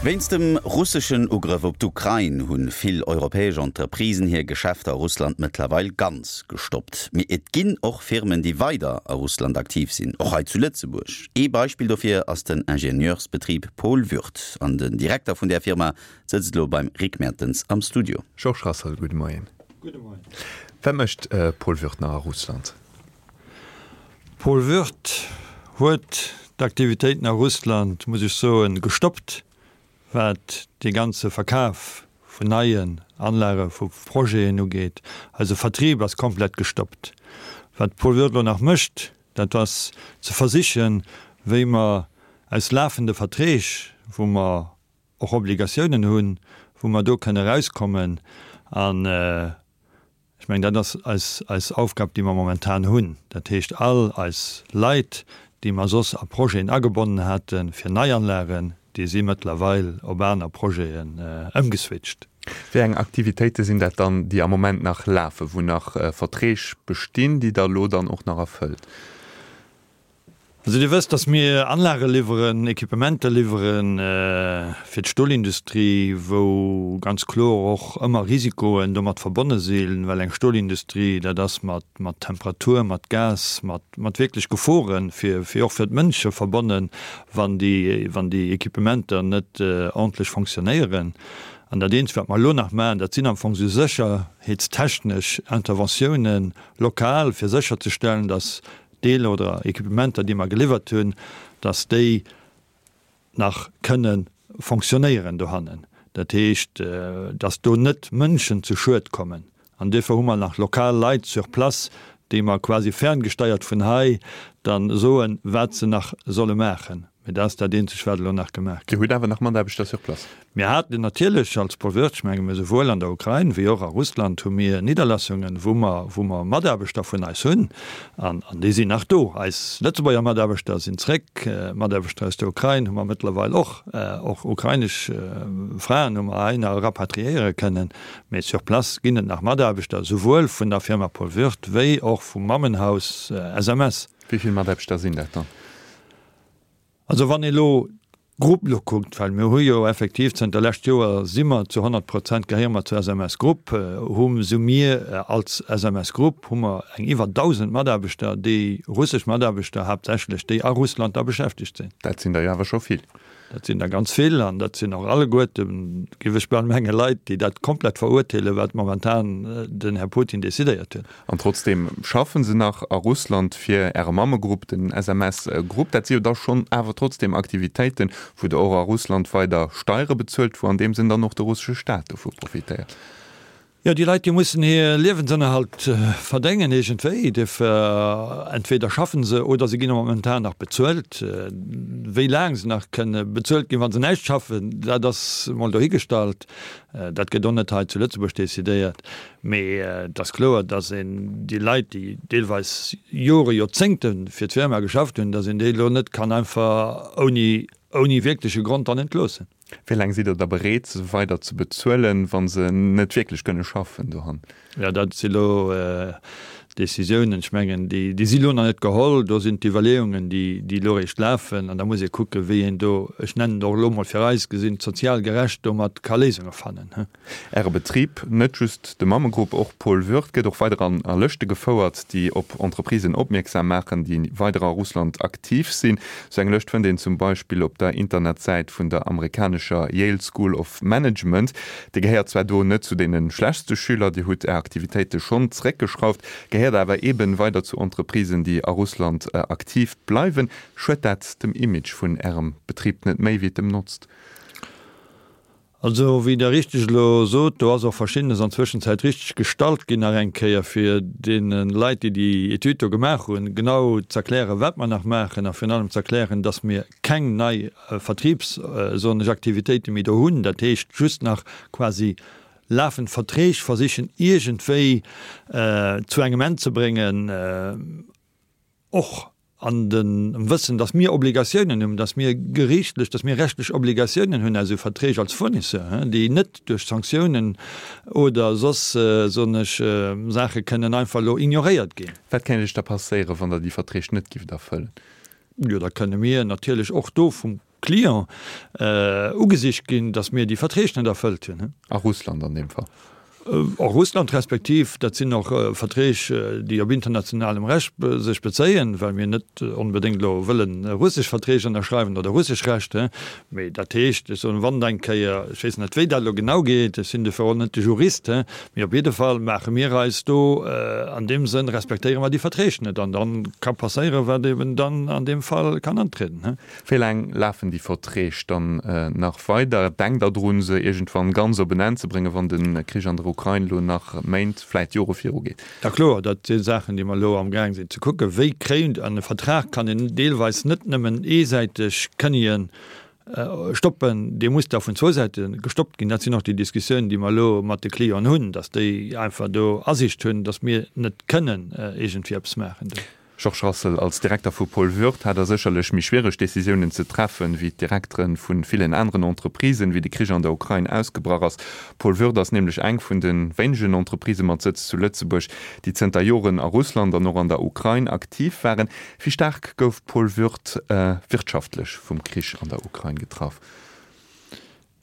Wéinst dem russeschen Ugrëff op d'Ukrain hu vill europäesch Entreprisen hir Geschäfter a Russland mëttlerweil ganz gestoppt. Mee et ginn och Firmen, déi weider a Russland aktiv sinn, och hei zu Lëtzebuerg. Ee Beispill dofir ass den Ingenieursbetrib Paul Würth. An den Direkter vun där Firma sëtzt elo beim Rick Mertens am Studio. Georges Rassel, gudde Moien. Gudde Moien. Wat mécht Paul Würth nach a Russland? Paul Würth huet d'Aktivitéiten a Russland, muss ech soen, gestoppt, wat dee ganze Verkaf vun neien Anlage vu Projeten ugeet. Eise Vertrib ass komplett gestoppt. Wat Paul Würth elo nach mécht, dat ass ze versichen, wéi mer aus lafende Verträg, wou mer och Obligatiounen hunn, wou mer do kënne erauskommen. An ech mengen, dat ass eis, eis Aufgab, déi mer momentan hunn. Dat heescht, all eis Leit, déi mer soss a Projeten agebonnen hate fir Neianlagen, déi si mëttlerweil op aner Projeten ëmgeswitcht. Wéi eng Aktivitéite sinn dat dann, déi am Moment nach lafen, wou nach Verträg bestinn, déi Der elo dann och nach erfëllt? Also Dir wësst, dass mir Anlage liwweren, Equipementer liwwere fir d'Stolindustrie, wou ganz kloer och ëmmer Risikoen domat verbonne sinn, well eng Stolindustrie, dat ass mat mat Temperatur, mat Gas, mat mat wierklech Gefore fir fir och fir d'Mënsche verbonnen, wann déi wann déi Equipementer net ordentlech fonctionnéieren. An dat eenzegt, wat mer elo nach maachen, dat sinn am Fong esou sécherheetstechnesch Interventiounen lokal, fir sécherzestellen, dass Deeler oder Equipementer, déi mer geliwwert hunn, dass déi nach kënne fonctionnéieren dohannen. Dat heescht, dass do net Mënschen zu Schued kommen. An duerfir hu mer nach lokal Leit sur place, déi mer quasi ferngesteiert vun hei dann soen, wat se nach solle maachen. Mee dat ass dat eenzegt, wat elo nach gemaach gëtt. Dir hutt awer nach Mataarbechter sur place? Mir haten natierlech als Paul Wirtz, ech menge mir souwuel an der Ukrain wéi och a Russland hu mir Nidderlassungen, wou mer, wou mer Mataarbechter vun eis hunn an, an déi sinn nach do. Eis Lëtzebuerger Mataarbechter sinn zréck, Mataarbechter aus der Ukrain hu mer mëttlerweil och, och ukrainesch Fraen hu mer heihinner rapatriéiere kënnen. Mee sur place ginn et nach Mataarbechter, souwuel vun der Firma Paul Würth wéi och vum Mammenhaus SMS. Wéi vill Mataarbechter sinn dat dann? Also wann ee lo d'Grupp lo kuckt, well mir hu jo effektiv zënter lescht Joer si mer zu 100 Prozent gehéiere mer zur SMS Group, hu sou mir als SMS Group hu mer eng iwwer 1.000 Mataarbechter, déi russesch Mataarbechter haaptsächlech, déi a Russland da beschäftegt sinn. Dat sinn der jo awer scho vill. Dat sinn der ganz vill an dat sinn och alleguerten, géif ech bal mengen, Leit, déi dat komplett verurteelen, wat momentan den Här Putin decidéiert huet. An trotzdeem schaffen se nach a Russland fir Äre Mammegrupp, den SMS Group. Dat si jo da schonn awer trotzdeem Aktivitéiten, wou Der och a Russland weider Steiere bezuelt, wou an deem Sënn dann och de russesche Staat dovu profitéiert. Jo, déi Leit, déi mussen hir Liewensënnerhalt verdéngen iergendwéi. Dofir entweder schaffen se oder se ginn momentan nach bezuelt. Wéi laang se nach kënne bezuelt ginn, wa se näischt schaffen, dat ass emol dohigestallt. Dat gëtt och net hei zu Lëtzebuerg decidéiert. Mee et ass kloer, datt een déi Leit, déi deelweis Jore, Joerzéngte fir d'Firma geschafft hunn, datt een déi elo net kann einfach ouni, ouni wierkleche Grond dann entloossen. Wéi laang sidd Der da bereet, se weider ze bezuelen, wa se net wierklech kënne schaffen dohan? Jo, dat si lo Décisiounen, ech mengen, déi, déi si lo nach net geholl. Do sinn d'Iwwerleeungen, déi, déi elo eréischt lafen. An da muss ee kucken, wéi een do, ech nennen et och elo mol fir eis gesinn, sozial gerecht domat ka Léisunge fannen. Äre Betrib, net just de Mammegrupp, och Paul Würth, gëtt och weider an a Lëschte gefouert, déi op Entreprisen opmierksam maachen, déi weider a Russland aktiv sinn. Sou eng Lëscht fënnt een zum Beispill op der Internetsäit vun der amerikanescher Yale School of Management. Dir gehéiert zwar do net zu deene schlechtste Schüler, Dir hutt Är Aktivitéite schonn zeréckgeschrauft, gehéiert awer eeben weider zu Entreprisen, déi a Russland aktiv bleiwen. Schued dat dem Image vun Ärem Betrib net méi, wéi et em notzt? Also, wéi Der richteg elo sot, do ass och Verschiddenes an Zwëschenzäit richteg gestallt ginn nach eng Kéier, fir deene Leit, déi déi Etüd do gemaach hunn, genau z'erklären, wat mer nach maachen a virun allem z'erklären, dass mir keng nei Vertriebs-, soen ech, Aktivitéite méi do hunn. Dat heescht, just nach quasi lafend Verträg versichen iergendwéi zu engem Enn ze bréngen, och an dem Wëssen, dass mir Obligatiounen hunn, dass mir gerichtlech, dass mir rechtlech Obligatiounen hunn aus esou Verträg als Fournisseur, déi net duerch Sanktiounen oder soss, soen ech, Saache kënnen einfach elo ignoréiert ginn. Wat kéint Iech da passéieren, wann Der déi Verträg net gift erfëllen? Jo, da kënne mir natierlech och do vum. Client ugesicht ginn, datt mir déi Verträg net erfëllt hunn. A Russland an deem Fall. A Russland respektiv, dat sinn och Verträg, déi op internationalem Recht sech bezéien, well mir net onbedéngt elo wëllen russesch Verträg ënnerschreiwen oder russesch Recht. Mee dat heescht, ech soen, wann eng Kéier, ech weess net, wéi dat elo genau geet, ech sinn dofir och net de Jurist, mee op jidde Fall maache mir eis do an deem Sënn, respektéiere mer déi Verträg net an dann ka passéieren, wat eben dann an deem Fall kann antrieden. Wéi laang lafen déi Verträg dann nach weider? Denkt Der drun, se iergendwann ganz op en Enn ze bréngen, wann de Krich an der Ukrain elo nach Méint, vläit Jore virugeet? Ja kloer, dat si Saachen, déi mer elo amgaang sinn ze kucken. Wéi kréint, an e Vertrag kann een deelweis net nëmmen eesäiteg kënnien stoppen, dee muss da vun zwou Säite gestoppt ginn. Dat sinn och déi Diskussiounen, déi mer elo mat de Clienten hunn, datt déi einfach do Asiicht hunn, datt mir net kënnen iergendwéi eppes maachen do. Georges Rassel, Als Direkter vu Paul Würth hat Der sécherlech méi schwiereg Decisiounen ze treffen, wéi d'Direkteren vu villen aneren Entreprisen, wéi de Krich an der Ukrain ausgebrach ass. Paul Würth ass nämlech eng vun de wéinegen Entreprisë mat Sëtz zu Lëtzebuerg, déi zënter Joren a Russland an och an der Ukrain aktiv waren. Wéi staark gouf Paul Würth wirtschaftlech vum Krich an der Ukrain getraff?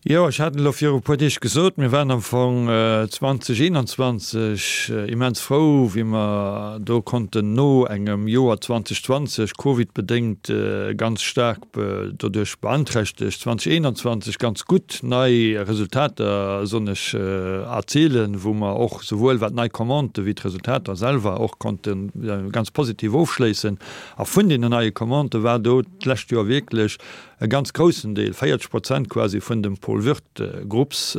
Jo, ech hat elo viru e puer Deeg gesot, mir waren am Fong 2021 immens frou, wéi mer do konnten no engem Joer 2020, covidbedéngt ganz staark doduerch beanträchtegt, 2021 ganz gutt nei Resultater, soen ech, erzilen, wou mer och souwuel wat nei Commandë wéi d'Resultater selwer och konnte ganz positiv ofschléissen. A vun deenen neie Commandë war do d'lescht Joer wierklech E ganz groussen Deel, 40 Prozent quasi, vun dem Paul Würth Grupps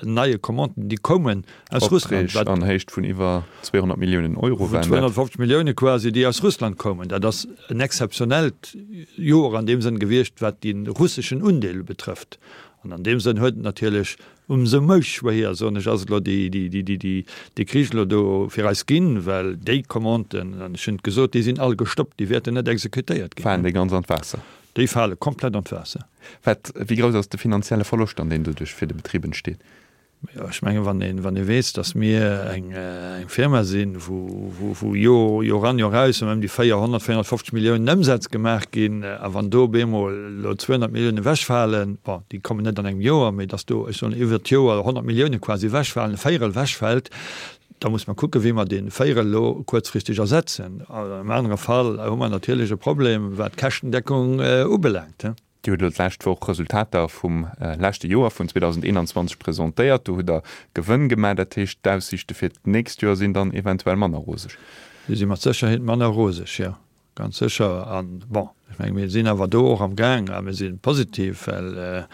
neie Commanden, déi koumen aus Russland. Opträg an Héicht vun iwwer 200 Milliounen Euro waren dat. 250 Millioune quasi, déi aus Russland koumen. Dat ass en exzeptionellt Joer an deem Sënn gewiescht, wat de russeschen Undeel betrëfft. An an deem Sënn huet et natierlech Ëmsou méi schwéier, soen ech, ass et elo dee Krich elo do fir eis ginn, well déi Commanden, an ech hunn et gesot, déi sinn all gestoppt, déi wäerten net exekutéiert ginn. Falen déi ganz an d'Waasser? Déi fale komplett an d'Waasser. Wat, wéi grouss ass de finanzielle Verloscht dann, deen doduerch fir de Betrib entsteet? Jo, ech mengen, wann ee, wann ee weess, datt mir eng Firma sinn, wou, wou Joer, Joer an, Joer aus ëm déi 400, 450 Milliounen Ëmsätz gemaach ginn, a wann do op eemol elo 200 Milliounen ewechfalen, bon, déi kommen net an engem Joer, mee datt do, ech soen, iwwert d'Joer 100 Millioune quasi ewechfalen, e Véierel ewechfält, da muss mer kucken, wéi mer dee Véierel elo kuerzfristeg ersetzen. Am anere Fall hu mer natierlech e Problem, wat d'Käschtendeckung ubelaangt. Dir hutt elo d'lescht Woch Resultater vum leschte Joer, vun 2021, presentéiert. Do hutt Der Gewënn gemaach. Dat heescht, d'Aussiichte fir d'nächst Joer sinn dann eventuell manner roseg? Déi si mat Sécherheet manner roseg, jo, ganz sécher. An, bon, ech menge mir sinn awer do och am Gaang a mir si positiv, well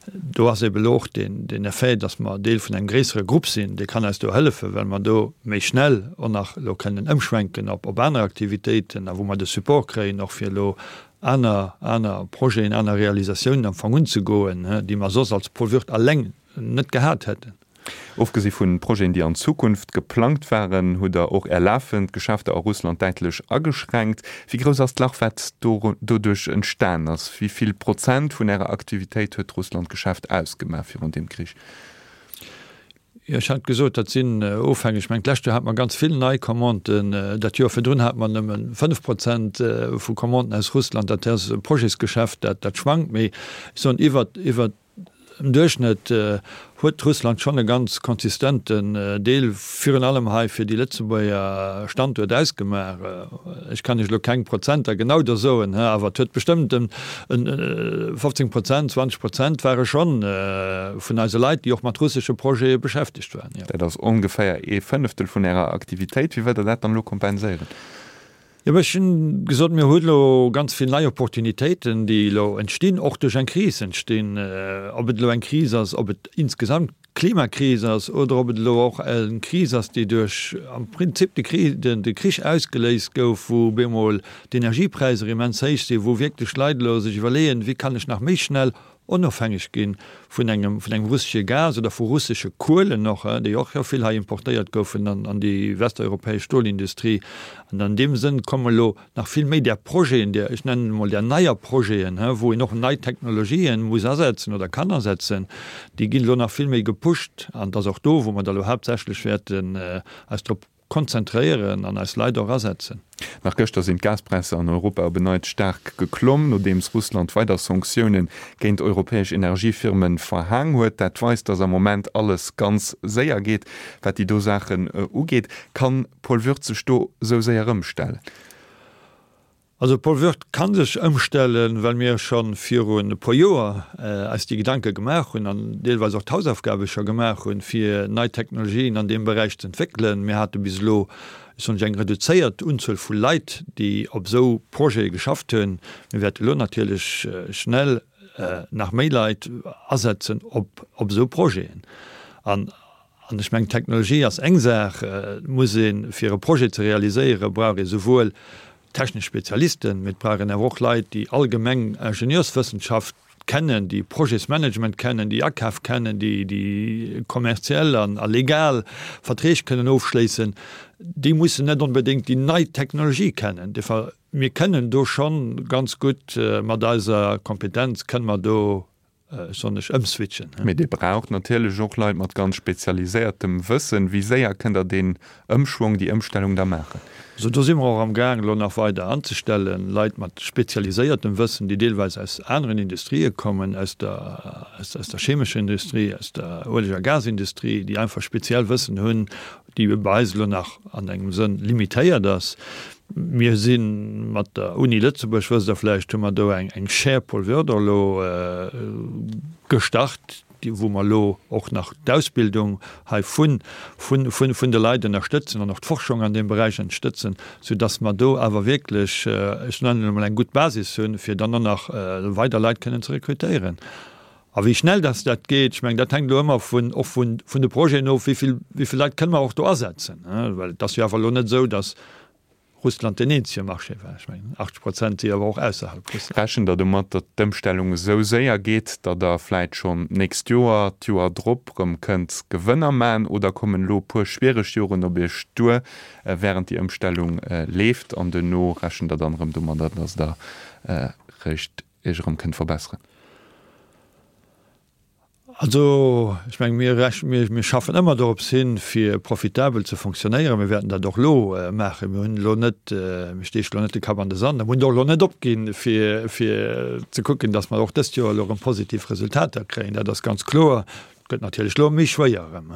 do ass eeben elo och deen Effet, datt mer Deel vun engem gréissere Grupp sinn, dee kann eis do hëllefen, well mer do méi schnell och nach elo kënnen ëmschwenken op aner Aktivitéiten a wou mer de Support kréien och fir elo aner, aner Projeten, aner Realisatiounen am Fong unzegoen, déi mer soss als Paul Würth alleng net gehat hätten. Ofgesi vu Projeten, déi an Zukunft geplangt waren, hutt Der och Är lafend Geschäfter a Russland däitlech ageschränkt. Wéi grouss ass d'Lach, wat doduerch entstan ass? Wéi vill Prozent vun Ärer Aktivitéit huet d'Russlandgeschäft ausgemaach virun deem Krich? Jo, ech hat gesot, dat sinn ofhängeg. Ech mengen, d'lescht Joer hate mer ganz vill nei Commanden. Dat Joer virdrun hate mer nëmme 5 Prozent vu Commanden aus Russland. Dat ass e Projetsgeschäft, dat, dat schwankt. Mee ech soen, iwwert, iwwert dem Duerchschnëtt huet Russland schonn e ganz konsistenten Deel, virun allem hei fir déi Lëtzebuerger Standuert ausgemaach. Ech kann Iech elo keng Prozenter genau do soen, awer et huet bestëmmt en 15 Prozent, 20 Prozent ware schonn vun eise Leit, déi och mat russesche Projete beschäftegt waren, jo. Dat ass ongeféier ee Fënneftel vun Ärer Aktivitéit. Wéi wëllt Der dat dann elo kompenséieren? Jo, ech hunn gesot, mir hu elo ganz vill nei Opportunitéiten, déi elo entstinn, och duerch eng Kris entstinn. Ob et elo eng Kris ass, ob et insgesamt d'Klimakris ass oder ob et elo och eng Kris ass, déi duerch am Prinzip de de Krich ausgeléist gouf, wou op eemol d'Energiepräisser immens héich sinn, wou wierklech Leit elo sech iwwerleeën, wéi kann ech nach méi schnell onofhängeg gi vun engem vun engem russesche Gas oder vu russesche Kuelen och, déi och jo vill hei importéiert goufen an an déi westeuropäesch Stolindustrie. An an deem Sënn komme elo nach vill méi där Projeten, där, ech nennen emol där neier Projeten, wou een och nei Technologien muss asetzen oder kann asetzen, déi ginn elo nach vill méi gepusht. An et ass och do, wou mer da elo haaptsächlech wäerten eis drop. konzentréieren an eis Leit och asetzen. Nach gëschter sinn d'Gaspräisser an Europa op en Neits staark geklomm, nodeems Russland weider Sanktioune géint europäesch Energiefirme verhaang huet. Dat weist, datt am Moment alles ganz séier geet, wat déi do Saachen ugeet. Kann Paul Würth sech do esou séier ëmstellen? Also Paul Würth kann sech ëmstellen, well mir scho virun e puer Joer eis déi Gedanke gemaach hunn an deelweis och d'Hausaufgabe scho gemaach hunn, fir nei Technologien an deem Beräich ze entwéckelen. Mir hate bis elo, ech soen lech, eng reduzéiert Unzuel vu Leit, déi op esou Projete geschafft hunn. Mir wäerte elo natierlech schnell nach méi Leit asetzen op esou Projeten. An An ech mengen, Technologie ass eng Saach. Et muss een, fir e Projet ze realiséieren, brauch ee souwuel technesch Spezialisten, mee et brauch een awer och Leit, déi allgemeng Ingenieurswëssenschaft kennen, déi Projetsmanagement kennen, déi Akaf kennen, déi déi kommerziell an a legal Verträg kënnen ofschléissen. Déi mussen net onbedéngt déi nei Technologie kennen. Duerfir, mir kënnen do schonn ganz gutt mat eiser Kompetenz kënnen mer do sonnesch ëmswitchen. Mee Dir braucht natierlech och Leit mat ganz spezialiséiertem Wëssen. Wéi séier kënnt Der deen Ëmschwong, déi Ëmstellung da maachen? Also do si mer och am Gaang elo nach weider anzestellen, Leit mat spezialiséiertem Wëssen, déi deelweis aus aneren Industrië kommen, aus der, aus der chemescher Industrie, aus der Ueleg a Gasindustrie, déi einfach speziell Wëssen hunn, déi bei eis elo nach an engem Sënn limitéiert ass. Mir si mat der Uni Lëtzebuerg, wësst Der vläicht, hu mer do eng Chaire Paul Woerder elo gestart, wou mer elo och nach d'Ausbildung hei vun de Leit ënnerstëtzen an och d'Forschung an deem Beräich ënnerstëtzen, soudass mer do awer wierklech, ech nennen et emol, eng gutt Basis hunn, fir dann och nach weider Leit kënnen ze rekrutéieren. A wéi schnell dass dat geet, ech mengen, dat hänkt elo ëmmer vun, och vun, vun de Projeten of, wéi vill, wéi vill Leit kënne mer och do asetzen, well et ass jo awer elo net esou, dass Russland deen eenzege Marché war. Ech mengen, 80 Prozent si awer och ausserhalb Russland. Rechent Der domat, datt d'Ëmstellung esou séier geet, datt Der vläit schonn d'nächst Joer, d'Joer drop erëm kënnt Gewënner maachen, oder kommen elo e puer schwiereg Joren op Iech duer, wärend déi Ëmstellung leeft, an duerno rechent Der dann erëm domadder, datt Der réischt Iech erëm kënnt verbesseren? Also, ech menge mir rech, mir, mir schaffen ëmmer dorops hin, fir profitabel ze fonctionnéieren. Mir wäerten dat och elo maachen. Mir hunn elo net, mir steechen elo net de Kapp an de Sand a mir hunn och elo net opginn, fir, fir ze kucken, datt mer och dëst Joer elo erëm positiv Resultater kréien. Dat ass ganz kloer. Et gëtt natierlech elo méi schwéier erëm.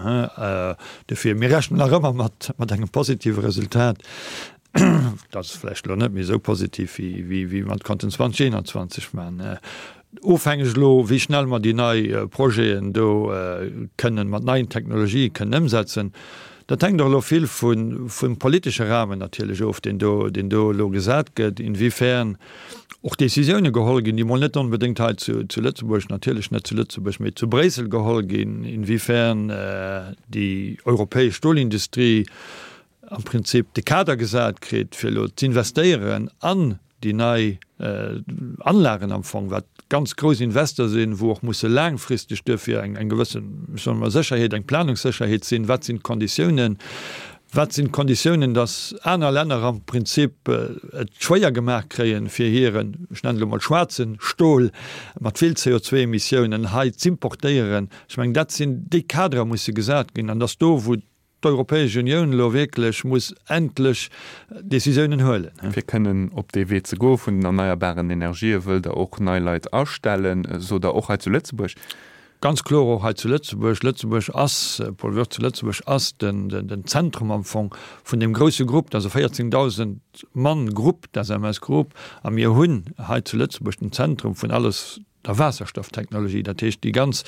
Dofir, mir rechnen nach ëmmer mat, mat engem positive Resultat. Dat ass vläicht elo net méi esou positiv, wéi wéi mer et konnten 2021 maachen. Ofhängeg elo, wéi schnell mer déi nei Projeten do kënnen mat neien Technologië kënnen ëmsetzen. Dat hänkt och elo vill vun vum politesche Rahmen natierlech of, deen do deen do elo gesat gëtt, inwiefern och Décisioune geholl ginn, déi mol net onbedéngt hei zu zu Lëtzebuerg, natierlech net zu Lëtzebuerg, mee zu Bréissel geholl ginn, inwiefern déi europäesch Stolindustrie am Prinzip de Kader gesat kritt, fir elo z'investéieren an déi nei Anlagen am Fong, wat ganz grouss Invester sinn, wou och musse laangfristeg duerfir eng eng gewëssen, ech soen emol, Sécherheet, eng Planungssécherheet sinn. Wat sinn d'Konditiounen? Wat sinn d'Konditiounen, datt aner Länner am Prinzip et schwéier gemaach kréien, fir hiren, ech nennen et elo mol schwaarzen Stol mat vill CO2-Emissiounen hei z'importéieren? Ech mengen, dat sinn déi Kaderer musse gesat ginn an datt do, wou d'Europäesch Unioun elo wierklech muss endlech Décisiounen huelen. Fir kënnen op dee Wee ze goe vun den erneierbaren Energië wëllt Der och nei Leit astellen, sot Der, och hei zu Lëtzebuerg? Ganz kloer och hei zu Lëtzebuerg. Lëtzebuerg ass, Paul Wirtz, Lëtzebuerg ass den Zentrum am Fong vun deem grousse Grupp, dat ass e 14.000 Mann Grupp, d'SMS Group, a mir hunn hei zu Lëtzebuerg den Zentrum vun alles, der Waasserstofftechnologie, dat heescht déi ganz,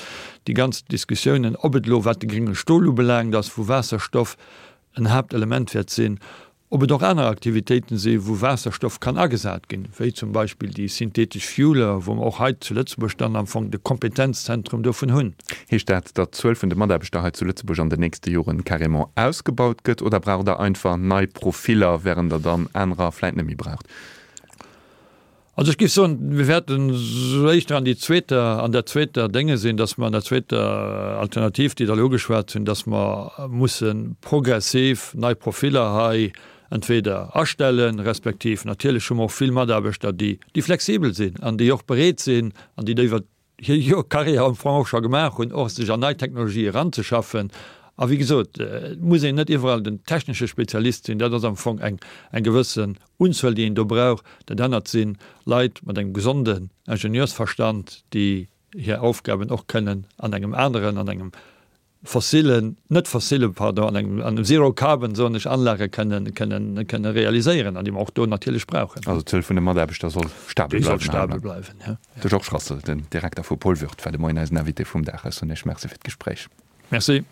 déi ganz Diskussiounen, ob et elo wat de grénge Stol ubelaangt ass, wou Waasserstoff en Haaptelement wäert sinn, ob et och aner Aktivitéiten si wou Waasserstoff kann agesat ginn, wéi zum Beispill déi synthetesch Fueler, wou mer och hei zu Lëtzebuerg dann am Fong de Kompetenzzentrum dovun hunn. Heescht dat, datt d'Zuel vun de Mataarbechter hei zu Lëtzebuerg an den nächste Joren carrément ausgebaut gëtt, oder braucht Der einfach nei Profiller, während Der dann anerer vläit net méi braucht? Also ech géif soen, mir wäerten esou éischter an déi zweeter, an der zweeter Dénge sinn, dass mer an der zweeter Alternativ, déi Der elo ugeschwat hunn, dass mer musse progressiv nei Profiller hei entweder astellen, respektiv natierlech hu mer och vill Mataarbechter, déi, déi flexibel sinn an déi och bereet sinn an déi iwwert hir Joer Carrière am Fong och scho gemaach hunn, och sech an nei Technologie eranzeschaffen. A wéi gesot, et muss een net iwwerall den technesche Spezialist sinn, dat ass am Fong eng eng gewëssen Unzuel, déi een do brauch. Dat anert si Leit mat engem gesonden Ingenieursverstand, déi hir Aufgaben och kënnen an engem aneren, an engem fossilen, net fossile, pardon, an engem, an zero carbon, soen ech, Anlage kënnen, kënnen, kënnen realiséieren an déi mer och do natierlech brauchen. Also d'Zuel vun de Mataarbechter soll stabel bleiwen? Déi soll stabel bleiwen, jo. De Georges Rassel, den Direkter vu Paul Würth, war de Moien eisen Invité vum Dag. Ech soen Iech Merci fir d'Gespréich. Merci.